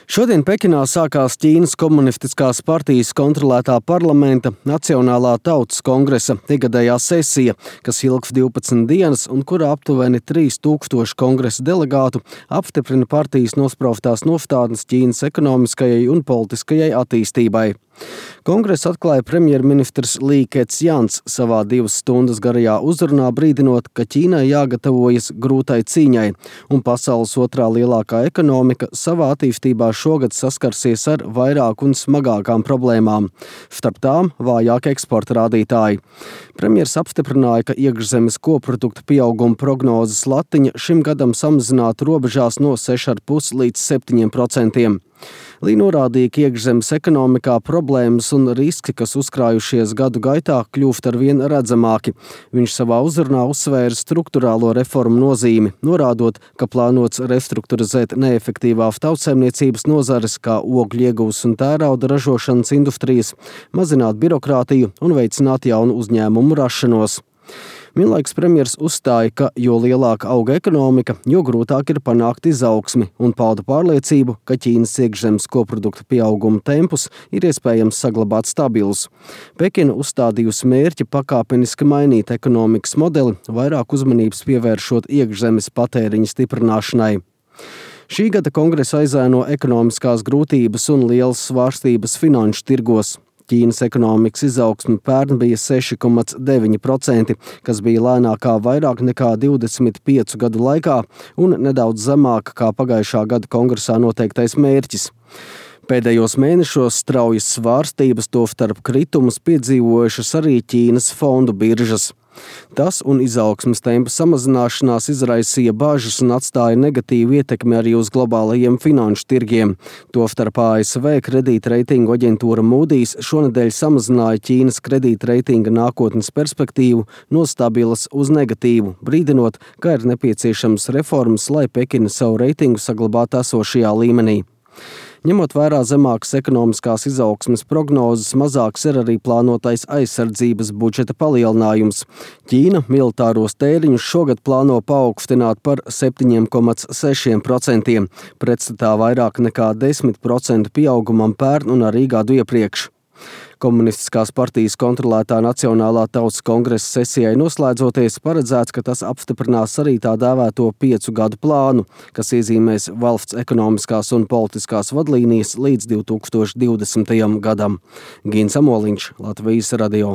Šodien Pekinā sākās Ķīnas komunistiskās partijas kontrolētā parlamenta Nacionālā tautas kongresa ikgadējā sesija, kas ilgs 12 dienas un kurā aptuveni 3000 kongresa delegātu apstiprina partijas nospraustās nostādnes Ķīnas ekonomiskajai un politiskajai attīstībai. Kongresu atklāja premjerministrs Lī Kecjans savā 2 stundas garajā uzrunā, brīdinot, ka Ķīnai jāgatavojas grūtai cīņai, un pasaules otrā lielākā ekonomika savā attīstībā šogad saskarsies ar vairāk un smagākām problēmām. Starp tām vājāk eksporta rādītāji. Premjers apstiprināja, ka iekšzemes koprodukta pieauguma prognozes latiņa šim gadam samazināta robežās no 6,5 līdz 7%. Lī norādīja, ka iekšzemes ekonomikā problēmas un riski, kas uzkrājušies gadu gaitā, kļūst arvien redzamāki. Viņš savā uzrunā uzsvēra strukturālo reformu nozīmi, norādot, ka plānots restruktūrizēt neefektīvās tautsaimniecības nozares kā ogļu ieguvas un tērauda ražošanas industrijas, mazināt birokrātiju un veicināt jaunu uzņēmumu rašanos. Vienlaikus premjers uzstāja, ka jo lielāka auga ekonomika, jo grūtāk ir panākt izaugsmi, un pauda pārliecību, ka Ķīnas iekšzemes koprodukta pieauguma tempus ir iespējams saglabāt stabilus. Pekina uzstādījusi mērķi pakāpeniski mainīt ekonomikas modeli, vairāk uzmanības pievēršot iekšzemes patēriņa stiprināšanai. Šī gada kongresa aizēno ekonomiskās grūtības un lielas svārstības finanšu tirgos. Ķīnas ekonomikas izaugsme pērn bija 6,9%, kas bija lēnākā vairāk nekā 25 gadu laikā un nedaudz zemāka kā pagājušā gada kongresā noteiktais mērķis. Pēdējos mēnešos straujas svārstības, tostarp kritumus piedzīvojušas arī Ķīnas fondu biržas. Tas un izaugsmes tempa samazināšanās izraisīja bažas un atstāja negatīvu ietekmi arī uz globālajiem finanšu tirgiem. Tostarp ASV kredītreitingu aģentūra Moody's šonedēļ samazināja Ķīnas kredītreitinga nākotnes perspektīvu no stabilas uz negatīvu, brīdinot, ka ir nepieciešams reformas, lai Pekina savu reitingu saglabātu esošajā līmenī. Ņemot vērā zemākas ekonomiskās izaugsmes prognozes, mazāks ir arī plānotais aizsardzības budžeta palielinājums. Ķīna militāros tēriņus šogad plāno paaugstināt par 7,6%, pretstatā vairāk nekā 10% pieaugumam pērn un arī gadu iepriekš. Komunistiskās partijas kontrolētā Nacionālā tautas kongresa sesijai noslēdzoties, paredzēts, ka tas apstiprinās arī tā dēvēto 5 gadu plānu, kas iezīmēs valsts ekonomiskās un politiskās vadlīnijas līdz 2020. gadam. Gins Amoliņš, Latvijas radio.